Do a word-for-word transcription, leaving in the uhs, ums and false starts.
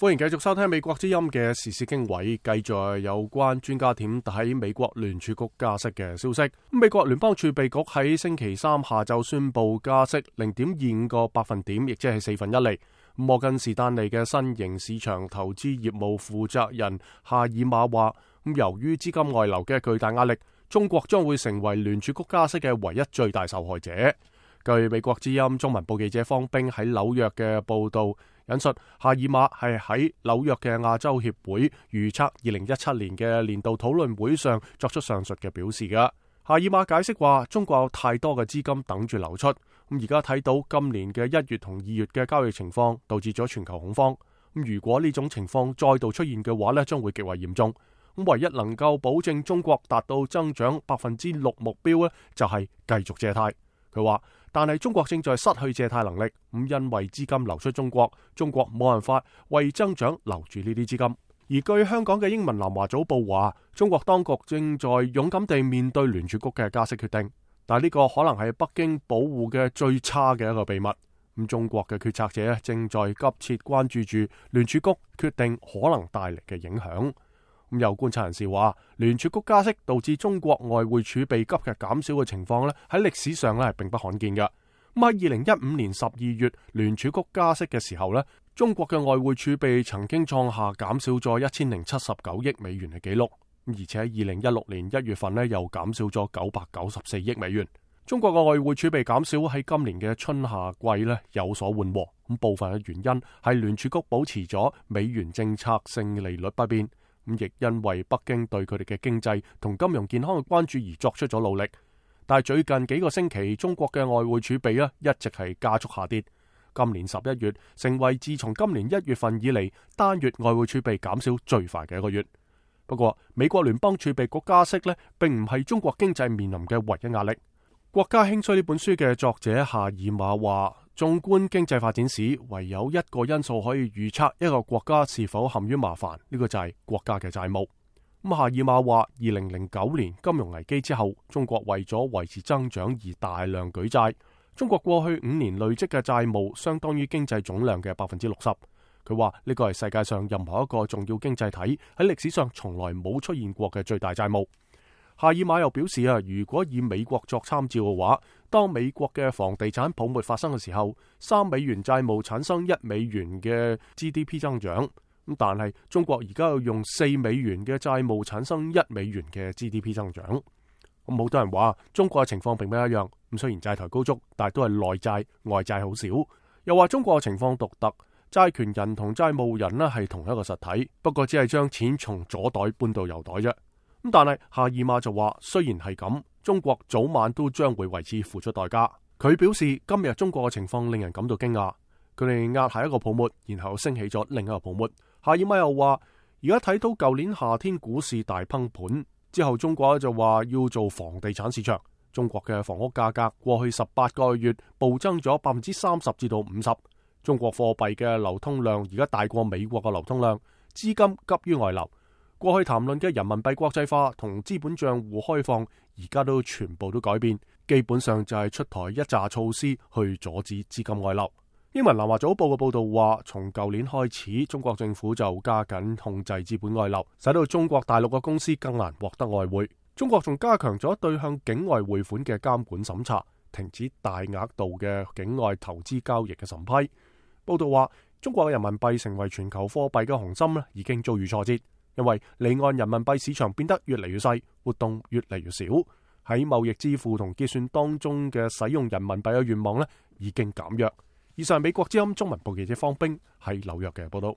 歡迎繼續收聽美國之音嘅時事經緯，繼續有關專家點睇美國聯儲局加息嘅消息。美國聯邦儲備局喺星期三下晝宣布加息零點二五個百分點，亦即係四分一厘。摩根士丹利嘅新型市場投資業務負責人夏爾馬話，咁由於資金外流嘅巨大壓力，中國將會成為聯儲局加息嘅唯一最大受害者。據美國之音中文部記者方冰喺紐約嘅報道引述，夏爾馬係喺紐約嘅亞洲協會預測二零一七年嘅年度討論會上作出上述嘅表示嘅。夏爾馬解釋話，中國有太多嘅資金等住流出，咁而家睇到今年嘅一月同二月嘅交易情況，導致咗全球恐慌。咁如果呢種情況再度出現嘅話呢，將會極為嚴重。咁唯一能夠保證中國達到增長百分之六目標呢，就係繼續借貸。佢話，但係中國正在失去借貸能力，咁因為資金流出中國，中國冇辦法為增長留住呢啲資金。而據香港嘅英文南華早報話，中國當局正在勇敢地面對聯儲局嘅加息決定，但係呢個可能係北京保護嘅最差嘅一個秘密。咁中國嘅決策者正在急切關注住聯儲局決定可能帶嚟嘅影響。咁有觀察人士話，聯儲局加息導致中國外匯儲備急劇減少嘅情況咧，喺歷史上咧係並不罕見嘅。咁喺二零一五年十二月聯儲局加息嘅時候咧，中國嘅外匯儲備曾經創下減少咗一千零七十九億美元嘅紀錄，而且喺二零一六年一月份咧又減少咗九百九十四億美元。中國嘅外匯儲備減少喺今年嘅春夏季咧有所緩和，咁部分嘅原因係聯儲局保持咗美元政策性利率不變。咁亦因為北京對佢哋嘅經濟同金融健康嘅關注而作出咗努力，但係最近幾個星期，中國嘅外匯儲備咧一直係加速下跌。今年十一月成為自從今年一月份以嚟單月外匯儲備減少最快嘅一個月。不過，美國聯邦儲備局加息咧，並唔係中國經濟面臨嘅唯一壓力。國家興衰呢本書嘅作者夏爾馬話，縱觀經濟發展史，唯有一個因素可以預測一個國家是否陷於麻煩，呢個就係國家嘅債務。咁夏爾馬話，二零零九年金融危機之後，中國為咗維持增長而大量舉債。中國過去五年累積嘅債務相當於經濟總量嘅百分之六十。佢話呢個係世界上任何一個重要經濟體喺歷史上從來冇出現過嘅最大債務。夏爾馬又表示啊，如果以美國作參照嘅話，當美國嘅房地產泡沫發生嘅時候，三美元債務產生一美元嘅 G D P 增長，咁但係中國而家要用四美元嘅債務產生一美元嘅 G D P 增長。咁好多人話中國嘅情況並不一樣，咁雖然債台高築，但係都係內債外債好少。又話中國嘅情況獨特，債權人同債務人呢係同一個實體，不過只係將錢從左袋搬到右袋啫。咁但係夏爾馬就話，雖然係咁，中國早晚都將會為此付出代價。佢表示，今日中國嘅情況令人感到驚訝，佢哋壓下一個泡沫，然後升起咗另一個泡沫。夏爾馬又話，而家睇到舊年夏天股市大崩盤之後，中國就話要做房地產市場。中國嘅房屋價格過去十八個月暴增咗百分之三十至到五十。中國貨幣嘅流通量而家大過美國嘅流通量，資金急於外流。過去談論嘅人民幣國際化同資本賬戶開放，而家都全部都改變，基本上就係出台一紮措施去阻止資金外流。英文南華早報嘅報道話，從舊年開始，中國政府就加緊控制資本外流，使到中國大陸嘅公司更難獲得外匯。中國仲加強咗對向境外匯款嘅監管審查，停止大額度嘅境外投資交易嘅審批。報道話，中國嘅人民幣成為全球貨幣嘅雄心咧，已經遭遇挫折。因為離岸人民幣市場變得越嚟越細，活動越嚟越少，喺貿易支付同結算當中嘅使用人民幣嘅願望咧已經減弱。以上係美國之音中文部記者方冰喺紐約嘅報道。